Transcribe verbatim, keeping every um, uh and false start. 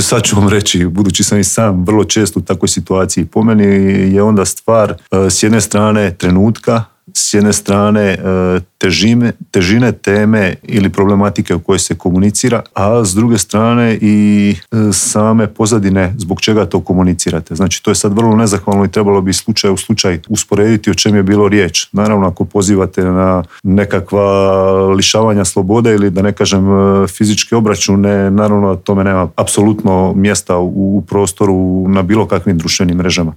Sad ću vam reći, budući sam i sam vrlo često u takvoj situaciji, po meni je onda stvar s jedne strane trenutka, s jedne strane težine, težine teme ili problematike o kojoj se komunicira, a s druge strane i same pozadine zbog čega to komunicirate. Znači to je sad vrlo nezahvalno i trebalo bi slučaj u slučaj usporediti o čem je bilo riječ. Naravno ako pozivate na nekakva lišavanja slobode ili da ne kažem fizičke obračune, naravno tome nema apsolutno mjesta u prostoru na bilo kakvim društvenim mrežama.